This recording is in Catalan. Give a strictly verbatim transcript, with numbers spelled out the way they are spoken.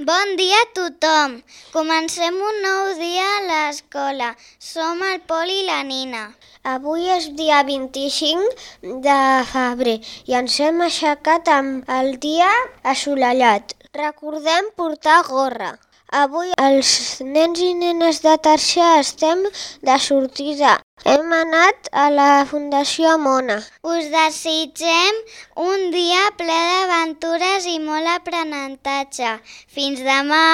Bon dia a tothom! Comencem un nou dia a l'escola. Som el Pol i la Nina. Avui és dia vint-i-cinc de febrer i ens hem aixecat amb el dia assolellat. Recordem portar gorra. Avui els nens i nenes de tercer estem de sortida. Hem anat a la Fundació Mona. Us desitgem un dia ple d'aventures i molt aprenentatge. Fins demà!